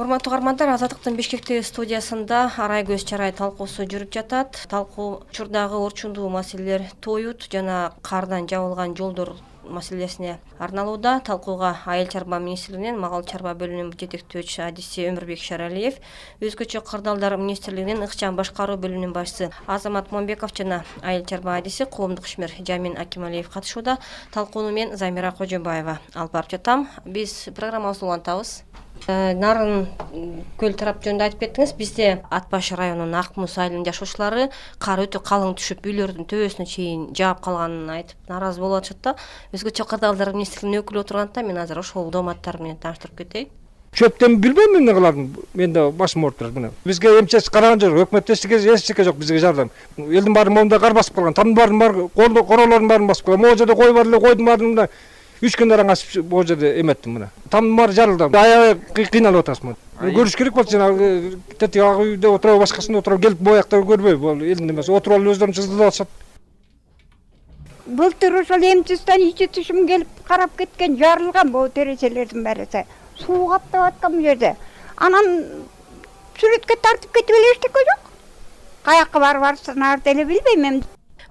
Урматтуу угармандар, Азаттыктын Бишкектеги студиясында арай көз чарай талкуусу жүрүп жатат. Талкуу учурдагы орчундуу маселелер, тоют жана кардан жабылган жолдор маселесине арналууда. Талкууга Айыл чарба министрлигинин Малал чарба бөлүмүнүн жетектөөчүсү адиси Өмүрбек Шаралиев, Өзгөчө кырдаалдар министрлигинин ыкчам башкаруу бөлүмүнүн башчысы Азамат Момбеков жана Айыл чарба адиси коомдук ишмер Жамин Акималиев катышууда. Талкууну мен Замира Кожобаева алып барып жатам. Биз программабызды улантабыз. Нарын көл тарап жөнүндө айтып кеттиңиз. Бизде Ат баш районунун Ак Муз айылынын жашоочулары кар өтө калың түшүп, үйлөрдүн төбөсүнө чейин жаап калганын айтып нааразы болуп атышат да. Өзгөчө кырдаалдар министрлигинин өкүлү отургандыктан мен азыр ошол дооматтар менен тааныштырып кетейин. Чөптөн билбейм эмне кыларын. Менде башым ооруп турат мына. Бизге эмчес караган жок, өкмөт эчтеке жок бизге жардам. Элдин баары моунда кар басып калган, тамдын баары королордун баарын басып калган. Могу жерде кой бар эле, койдун баарын 3 күн аран касып могу жерде эметтим мына. Тамдын баары жарылды. Аябай кыйналып атабыз мына. Көрүш керек болчу, жанагы тетиги ак үйдө отуруп, башкасында отуруп, келип боякта көрбөй, бул элдин эмеси. Отуруп алып өздөрүн чыздырып атышат. Былтыр ошол эмчистен ичи тышым келип карап кеткен, жарылган бул терезелердин баары. Суу каптап аткан бул жерде. Анан сүрөткө тартып кетип эле эчтеке жок. Каякка барып ар деле билбейм эми.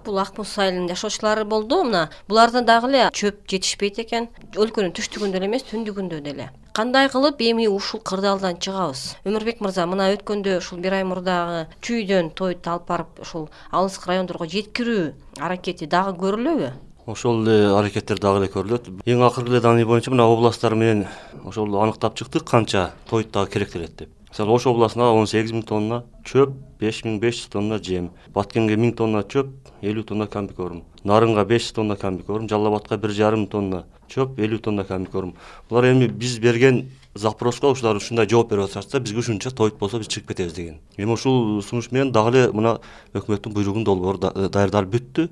Бул Ак Муз айылынын жашоочулары болду. Мына буларда дагы эле чөп жетишпейт экен. Өлкөнүн түштүгүндө эле эмес, түндүгүндө деле. Кандай кылып эми ушул кырдаалдан чыгабыз? Өмүрбек мырза, мына өткөндө ушул бир ай мурдагы чүйдөн тойту алып барып ушул алыскы райондорго жеткирүү аракети дагы көрүлөбү? Ошол эле аракеттер дагы эле көрүлөт. Эң акыркы эле данный боюнча мына областтар менен ошол аныктап чыктык канча тоют дагы керектелет деп. Мисалы Ош областына 18 000 тонна чөп, 5500 тонна жем, Баткенге 1000 тонна чөп, 50 тонна комбикорм, Нарынга 500 тонна комбикорм, Жалал Абадка 1,5 тонна чөп, 50 тонна комбикорм. Булар эми биз берген запроско ушулар ушундай жооп берип атышат, биз ушунча тоют болсо биз чыгып кетебиз деген. Эми ушул сунуш менен дагы эле мына өкмөттүн буйругунун долбоору даярдалып бүттү.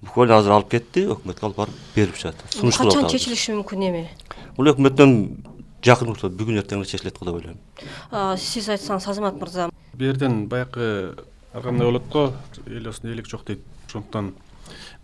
Буквально азыр алып кетти, өкмөткө алып барып берип жатат. Сунуш кылып атат. Качан чечилиши мүмкүн эми? Бул өкмөттөн жакын учурда бүгүн эртең эле чечилет го деп ойлойм. Сиз айтсаңыз, Азамат мырза. Бу жерден баягы аргандай болот го, эл осунда элек жок дейт. Ошондуктан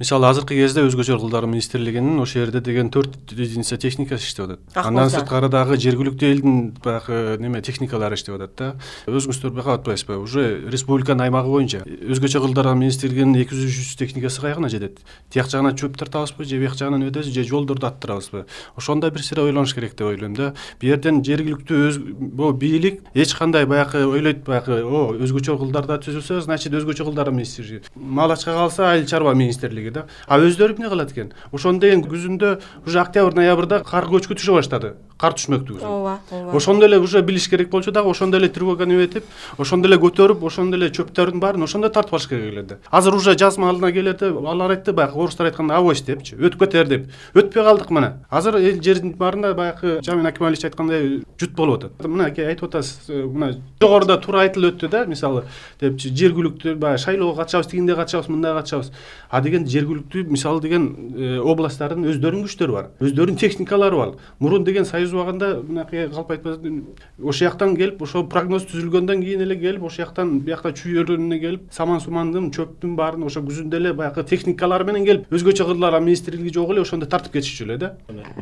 мисалы азыркы кезде Өзгөчө кырдаалдар министрлигинин ошол жерде деген 4 единица техникасы иштеп атат. Андан сырткары дагы жергиликтүү элдин баягы неме техникалары иштеп атат да. Өзүңүздөр байкап атпайсызбы? Уже республиканын аймагы боюнча Өзгөчө кырдаалдар министрлигинин 200-300 техникасы кайгына жетет. Тияк жагынан чөп тартабызбы, же бияк жагынан өтөбүз, же жолдорду аттырабызбы? Ошондой бир сыйра ойлонуш керек деп ойлойм да. Бу жерден жергиликтүү бу бийлик эч кандай баягы ойлойт, баягы Өзгөчө кырдаалдар түзүлсө, значит Өзгөчө кырдаалдар министрлиги. Малачка калса Айыл чарба министрлиги. А өздөрү эмне кылат экен? Ошондо деген күзүндө уже октябрь-ноябрда кар көчкү түшө баштады. Кар түшмөктү. Ооба. Ошондо эле уже билиш керек болчу дагы, ошондо эле тревоганы өтүп, ошондо эле көтөрүп, ошондо эле чөптөрдүн баарын ошондо тартып алыш керек эле. Азыр уже жаз маалына келерде, алар айтты баягы орустар айтканда авось депчи, өтүп кетер деп. Өтпөй калдык мына. Азыр эл жердин баарында баягы Жамин Акималиевич айткандай жут болуп атат. Мына айтып атасыз, мына жогоруда туура айтылып өттү да, мисалы депчи, жергиликтүү баягы шайлоого катышабыз, тигинде катышабыз, мындай катышабыз. А деген жергиликтүү мисалы деген областтардын өздөрүнүн күчтөрү бар, өздөрүнүн техникалары бар. Мурун деген союз убагында мынакей калп айтпасын, ошол жактан келип, ошол прогноз түзүлгөндөн кийин эле келип, ошол жактан биякта чүйөрүнө келип, саман-сумандын, чөптүн баарын ошо күзүндө эле баягы техникалары менен келип, Өзгөчө кырдаалдар министрлиги жок эле ошондо тартып кетишчү эле да.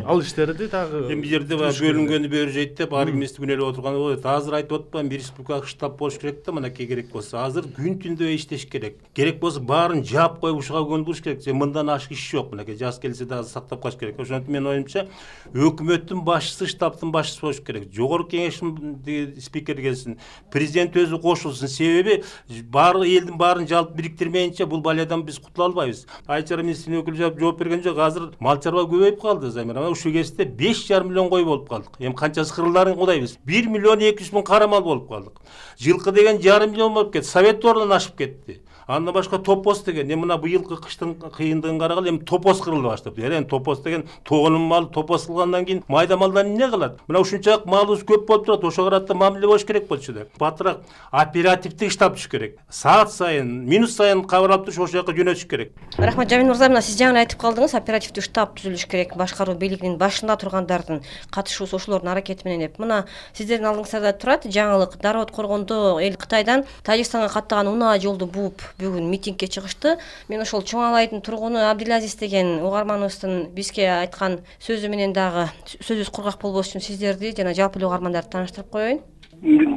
Ал иштерди дагы эми бу жерде бөлүнгөнү бери жейт деп, ар ким күн эле отурганы болот. Азыр айтып атпаймынбы, бир республикалык штаб болуш керек да, мынакей керек болсо. Азыр күн түндө иштеш керек. Керек болсо баарын жаап коюп ушуга көндүрүш керек. Мындан ашык иш жок. Мынакей жаз келсе дагы сактап калыш керек. Ошондуктан менин оюмча, өкмөттүн башчысы штабтын башчысы болуш керек. Жогорку кеңештин спикери келсин, президент өзү кошулсун. Себеби баары элдин баарын жалпы бириктирмейинче бул балиядан биз кутула албайбыз. Айыл чарба министринин өкүлү жооп берген жок. Азыр мал чарба көбөйүп калды, Замира. Ушул кезде 5,5 миллион кой болуп калдык. Эми канчасы кырылдарын кудайбыз. 1 миллион 200 миң кара мал болуп калдык. Жылкы деген 1,5 миллион болуп кетти. Совет ордунан ашып кетти. Андан башка топоз деген, эми мына быйылкы кыштын кыйындыгын карагыла, эми топоз кырыла баштады. Эми топоз деген тоонун малы топоз кылгандан кийин майда малдан эмне кылат? Мына ушунчалык малыбыз көп болуп турат, ошого карата мамиле болуш керек болчу да. Батыраак оперативдик штаб түшүш керек. Саат сайын, минут сайын кабар алып туруш, ошол жака жөнөтүш керек. Рахмат, Жамин мырза, мына сиз жаңы айтып калдыңыз, оперативдик штаб түзүлүш керек, башкаруу бийлигинин башында тургандардын катышуусу, ошолордун аракети менен деп. Мына сиздердин алдыңыздарда турат жаңылык. Дароо коргондо эл Кытайдан Тажикстанга каттаган унаа жолду бууп бүгүн митингге чыгышты. Мен ошол Чоң Алайдын тургуну Абдилазиз деген угарманыбыздын бизге айткан сөзү менен дагы сөзүбүз кургак болбош үчүн сиздерди жана жалпы эле угармандарды тааныштырып коеюн.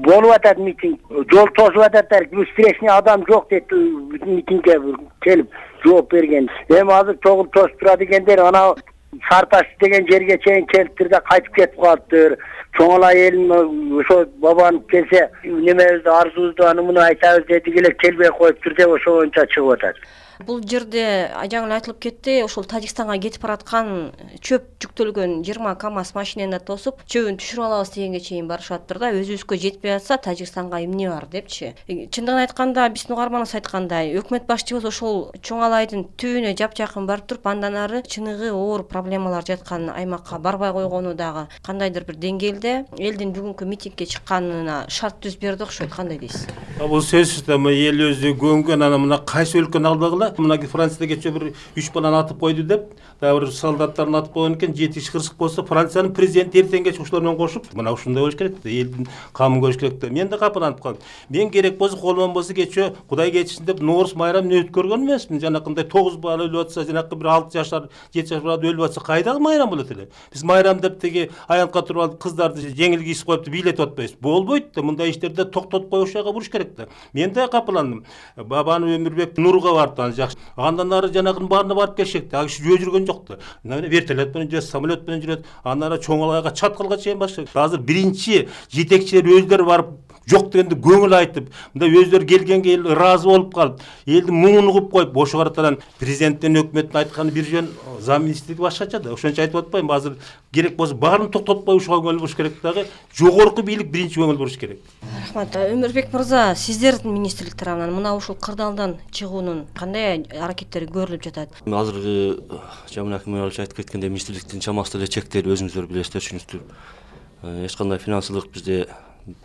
болуп атат митинг, жол тосуп ататтар, встречный адам жок деп митингге келип жооп берген. Эми азыр чогул тосуп турат экендер, ана Сарташ деген жерге чейин келиптир да кайтып кетип калыптыр. Чоңала элин ошо бабанып келсе, немебизди арзубузду аны муну айтабыз деди эле келбей коюптур деп ошо боюнча чыгып атат. Бул жерде жаңы эле айтылып кетти, ошол Тажикстанга кетип бараткан чөп жүктөлгөн 20 КАМАЗ машинени тосуп, чөбүн түшүрүп алабыз дегенге чейин барышаттыр да, өзүбүзгө жетпей атса Тажикстанга эмне бар депчи. Чындыгын айтканда, биздин угарманыбыз айткандай, өкмөт башчыбыз ошол Чоңалайдын түбүнө жапжакын барып туруп, андан ары чыныгы оор проблемалар жаткан аймакка барбай койгону дагы кандайдыр бир деңгээлде элдин бүгүнкү митингге чыкканына шарт түз берди окшойт. Кандай дейсиз? Бул сөзсүз да эл өзү көнгөн, ана мына кайсы өлкөнү алдагыла мына Францияда кече бир 3 баланы атып койду деп, дагы бир солдаттарын атып койгон экен, 7 киши кырсык болсо, Франциянын президенти эртең кеч ушулар менен кошуп, мына ушундай болуш керек да, элдин камын көрүш керек да. Мен да капаланып калдым. Мен керек болсо колуман болсо кече Кудай кечирсин деп Ноорус майрамын өткөргөн эмесмин. Жанакындай 9 бала өлүп атса, жанакы бир 6 жашар, 7 жашар бала өлүп атса, кайдагы майрам болот эле? Биз майрам деп теги аянтка туруп алып кыздарды жеңил кийип коюп бийлетип атпайбыз. Болбойт да, мындай иштерди токтотуп коюшага буруш керек да. Мен да капаландым. Бабаны Өмүрбек Нурга барды, аны жакшы. Андан ары жанагынын баарына барып келишек да. Ал киши жөө жүргөн жок да. Вертолет менен жүрөт, самолет менен жүрөт. Андан ары Чоңалайга чаткалга чейин башка. Азыр биринчи жетекчилер өздөрү барып жок дегенде көңүл айтып, мындай өздөрү келгенге эл ыраазы болуп калып, элдин муңун угуп коюп, ошо каратан президенттин өкмөттүн айтканы бир жөн, зам министрлиги башкача да. Ошончо айтып атпаймынбы? Азыр керек болсо баарын токтотпой ушуга көңүл буруш керек дагы. Жогорку бийлик биринчи көңүл буруш керек. Рахмат. Өмүрбек мырза, сиздердин министрлик тарабынан мына ушул кырдаалдан чыгуунун кандай аракеттери көрүлүп жатат? Азыркы Жаман Аким айтып кеткендей, министрликтин чамасы деле чектелип, өзүңүздөр билесиздер, түшүнүктүр. Эч кандай финансылык бизде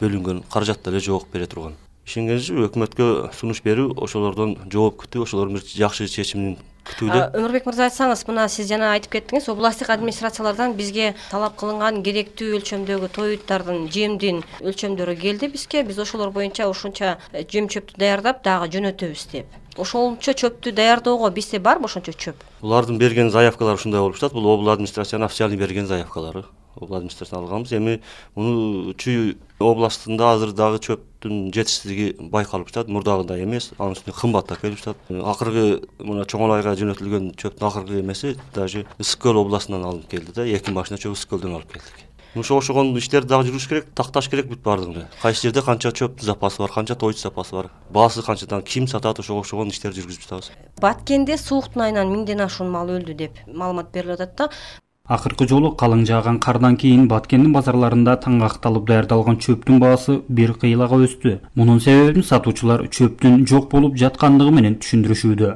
бөлүнгөн каражат деле жок бере турган. Ишенгенчи өкмөткө сунуш берүү, ошолордон жооп күтүү, ошолордун бир жакшы чечимин күтүүдө. Өмүрбек мырза, айтсаңыз, мына сиз жана айтып кеттиңиз, областтык администрациялардан бизге талап кылынган керектүү өлчөмдөгү тоюттардын, жемдин өлчөмдөрү келди бизге. Биз ошолор боюнча ушунча жем чөптү даярдап дагы жөнөтөбүз деп. Ошончо чөптү даярдоого бизде барбы ошончо чөп? Булардын берген заявкалары ушундай болуп жатат. Бул обл администрациянын официальный берген заявкалары. Обл администрациядан алганбыз. Эми муну Чүй областында азыр дагы чөптүн жетишсиздиги байкалып жатат. Мурдагыдай эмес, анын үстүнө кымбаттап келип жатат. Акыркы мына Чоңалайга жөнөтүлгөн чөптүн акыркы эмеси даже Ысык көл областынан алынып келди да. 2 машина чөп Ысык көлдөн алып келдик. Ошогон иштерди дагы жүрүш керек, такташ керек бүт баардыгын. Кайсы жерде канча чөп запасы бар, канча тоюч запасы бар, баасы канчадан ким сатат, ошогон иштерди жүргүзүп жатабыз. Баткенде сууктун айынан 1000ден ашуун мал өлдү деп маалымат берилип атат да. Акыркы жолу калың жааган кардан кийин Баткендин базарларында таңгакталып даярдалган чөптүн баасы бир кыйлага өстү. Мунун себебин сатуучулар чөптүн жок болуп жаткандыгы менен түшүндүрүшүүдө.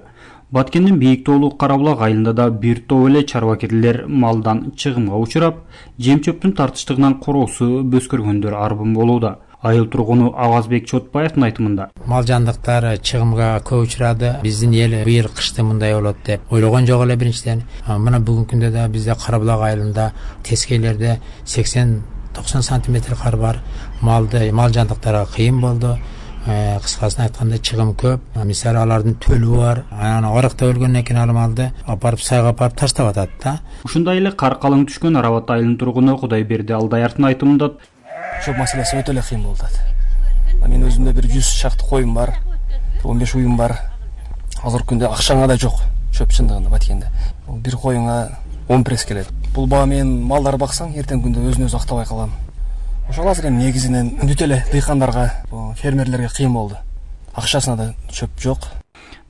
Баткендин Бийик тоолук Карабулак айылында да бир топ эле чарбакерлер малдан чыгымга учурап, жем чөптүн тартыштыгынан короосу бөскөргөндөр арбын болууда. Айыл тургуну Авазбек Чотбаевдин айтымында. Мал жандыктар чыгымга көп учурады. Биздин эл быйыл кышты мындай болот деп ойлогон жок эле биринчиден. Мына бүгүнкү күндө да бизде Карабулак айылында тескейлерде 80-90 сантиметр кар бар. Мал жандыктарга кыйын болду. Кыскасын айтканда чыгым көп. Мисалы алардын төлү бар. Анан арыкта өлгөндөн кийин ал малды апарып сайга апарып таштап атат да. Ушундай эле кар калың түшкөн Арабат айылынын тургуну Кудайберди Алдаярдын айтымында чөп маселеси өтө эле кыйын болуп атат. Мен өзүмдө бир 100 шакты коюм бар, 15 уюм бар. Азыркы күндө акчаңа да жок чөп чындыгында Баткенде. Бир коюңа 10 пресс келет. Бул баа менен малдар баксаң, эртең күндө өзүн өзү актабай калам. Ошол азыр эми негизинен бүт эле дыйкандарга, фермерлерге кыйын болду. Акчасына да чөп жок.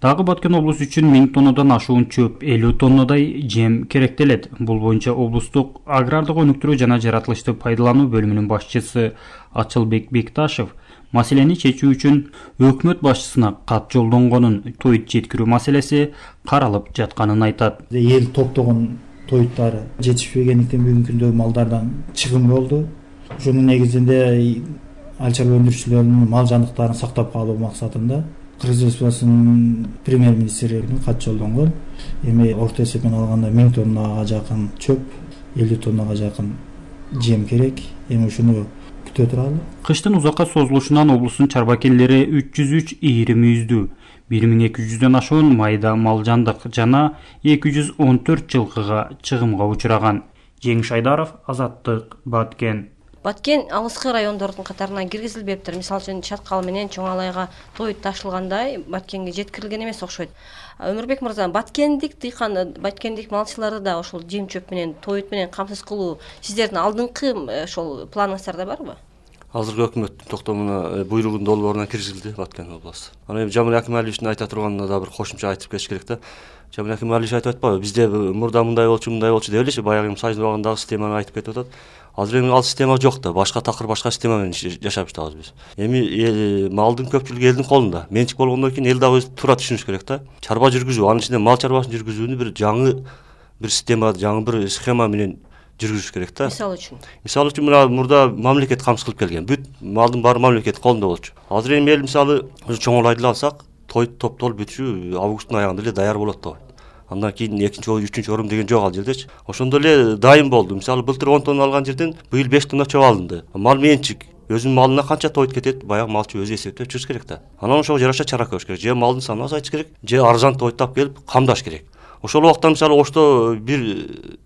Дагы Баткен облусу үчүн 1000 тоннадан ашуун чөп 50 тоннадай жем керектелет. Бул боюнча облустук агрардык өнүктүрүү жана жаратылышты пайдалануу бөлүмүнүн башчысы Ачылбек Бекташев маселени чечүү үчүн өкмөт башчысына кат жолдонгонун, тоют жеткирүү маселеси каралып жатканын айтат. Эл топтогон тоюттар жетишпегендиктен бүгүнкү күндө малдардан чыгым болду. Ошонун негизинде айыл чарба өндүрүүчүлөрүнүн мал жандыктарын сактап калуу максатында Кыргыз Республикасынын премьер-министрine кат жолдонгон. Эми орто эсепмен алганда 1000 тоннага жакын чөп, 50 тоннага жакын жем керек. Эми ушуну күтө туралы. Кыштын узакка созулушунан облустун чарбакерлери 303 ийри мүйүздүү, 1200дөн ашуун майда мал жандык жана 214 жылкыга чыгымга учураган. Жеңиш Айдаров, Азаттык, Баткен. Баткен алыскы райондордун катарына киргизилбептир. Мисалы үчүн Чаткал менен Чоң Алайга Тоют ташылгандай Баткенге жеткирилген эмес окшойт. Өмүрбек мырза, баткендик дыйкан, баткендик малчыларды да ошол жем чөп менен, Тоют менен камсыз кылуу сиздердин алдыңкы ошол планыңыздарда барбы? Азыркы өкмөттүн токтомуна буйругунун долбооруна киргизилди Баткен областы. Ана эми Жамил Акималиевичтин айта турганына да бир кошумча айтып кетиш керек да. Жамил Акималиевич айтып атпайбы, бизде мурда мындай болчу деп элечи баягы Союз убагындагы системаны айтып кетип атат. Азыр эми ал система жок да, башка такыр башка система менен жашап жатабыз биз. Эми малдын көпчүлүгү элдин колунда. Менчик болгондон кийин эл дагы өзү туура түшүнүш керек да. Чарба жүргүзүү, анын ичинде мал чарбасын жүргүзүүнү бир жаңы бир система, жаңы бир схема менен жүргүзүш керек да. Мисалы үчүн мына мурда мамлекет камсыз кылып келген. Бүт малдын баары мамлекеттин колунда болчу. Азыр эми эл мисалы Чоң Алайды алсак, Тоют топтолуп бүтүшү августтун аягында эле даяр болот да. Андан кийин 2-чи, 3-чү орун деген жок ал жердечи. Ошондо эле дайым болду. Мисалы былтыр 10 тонна алган жерден быйыл 5 тонна чөп алынды. Мал менчик. Өзүнүн малына канча Тоют кетет, баягы малчы өзү эсептеп чыгыш керек да. Анан ошого жараша чара көрүш керек. Же малдын санын азайтыш керек, же арзан Тоюттап келип камдаш керек. Ошол убакта мисалы Ошто бир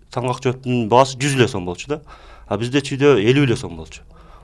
таңак чөптүн баасы 100 эле сом болчу да. А бизде чүйдө 50 эле сом болчу.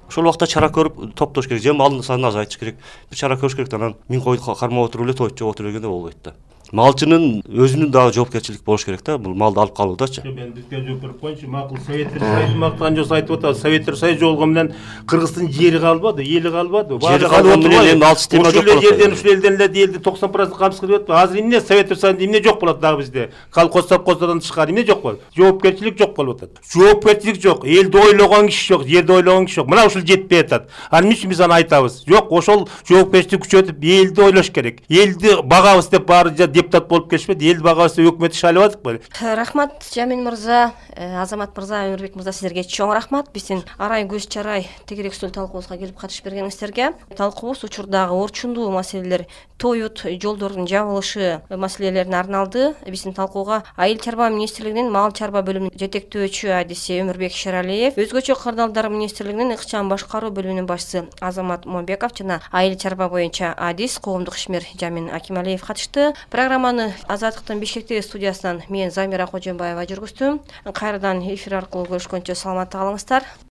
Ошол убакта чара көрүп топтош керек, же малдын санын азайтыш керек. Бир чара көрүш керек да, анан 1000 койду кармап отуруп эле Тоют жок отуруп бергенде болбойт да. Малчынын өзүнүн дагы жоопкерчилик болуш керек да, бул малды алып калуудачы. Мен бизге жооп берип коеюнчу. Макул Советтер Союзу мактаган жок айтып атат. Советтер Союзу болгон менен Кыргыздын жери калбады, эли калбады. Жери калган менен эми ал система жок болот. Жерден ушул элден эле элди 90% камсыз кылып атпайбы? Азыр эмне Советтер Союзунда эмне жок болот дагы бизде? Колхоздон тышкары эмне жок болот? Жоопкерчилик жок болуп атат. Жоопкерчилик жок, элди ойлогон киши жок, жерди ойлогон киши жок. Мына ушул жетпей атат. Ал эмне үчүн биз аны айтабыз? Жок, ошол жоопкерчиликти күчөтүп элди ойлош керек. Элди багабыз деп баары депутат болуп келишпеди. Эл багабыз деп өкмөт иш алып атыкпы? Рахмат Жамил мырза, Азамат мырза, Өмүрбек мырза, сиздерге чоң рахмат. Биздин арай көз чарай тегерек үстөл талкуубузга келип катышып бергениңиздерге. Талкуубуз учурдагы орчундуу маселелер, Тоют, жолдордун жабылышы маселелерине арналды. Биздин талкууга Айыл чарба министрлигинин мал чарба бөлүмүнүн жетектөөчү адиси Өмүрбек Шералиев, өзгөчө кырдаалдар министрлигинин ыкчам башкаруу бөлүмүнүн башчысы Азамат Момбеков жана айыл чарба боюнча адис коомдук ишмер Жамил Акималиев катышты. Программаны Азаттыктын Бишкектеги студиясынан мен Замира Кожомбаева жүргүздүм. Кайрадан эфир аркылуу көрүшкөнчө саламатта калыңыздар.